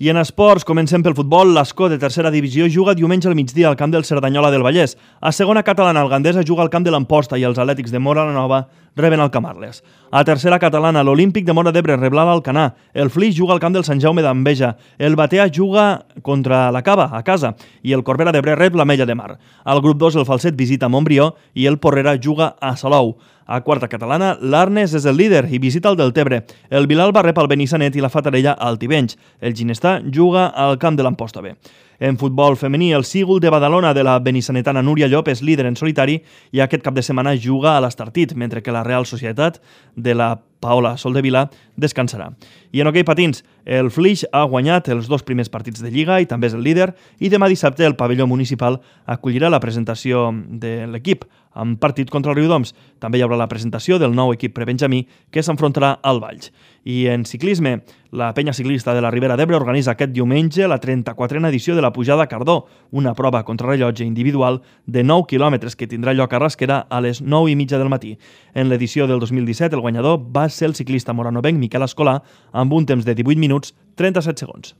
I en esports, comencem pel futbol. L'Escó, de tercera divisió, juga diumenge al migdia al camp del Cerdanyola del Vallès. A segona catalana, el Gandesa juga al camp de l'Amposta i els Atlètics de Móra la Nova reben el Camarles. A tercera catalana, l'Olímpic de Móra d'Ebre rebrà l'Alcanar. El Flix juga al camp del Sant Jaume d'Enveja. El Batea juga contra la Cava, a casa, i el Corbera d'Ebre rep l'Ametlla de Mar. Al grup 2, el Falset visita Montbrió i el Porrera juga a Salou. A quarta catalana, l'Arnes és el líder i visita el Deltebre. El Vilalba rep el Benissanet i la Fatarella al Tivenys. El Ginestà juga al camp de l'Amposta B. En futbol femení, el Sígul de Badalona de la benissanetana Núria Llop és líder en solitari i aquest cap de setmana juga a l'Estartit, mentre que la Real Societat de la Paola Soldevila descansarà. I en hoquei patins, el Flix ha guanyat els 2 primers partits de Lliga i també és el líder, i demà dissabte el pavelló municipal acollirà la presentació de l'equip en partit contra el Riudoms. També hi haurà la presentació del nou equip prebenjamí que s'enfrontarà al Valls. I en ciclisme, la penya ciclista de la Ribera d'Ebre organitza aquest diumenge la 34a edició de la Pujada a Cardó, una prova contrarellotge individual de 9 quilòmetres que tindrà lloc a Rasquera a les 9:30 del matí. En l'edició del 2017, el guanyador va ser el ciclista moranovenc Miquel Escolà amb un temps de 18 minuts 37 segons.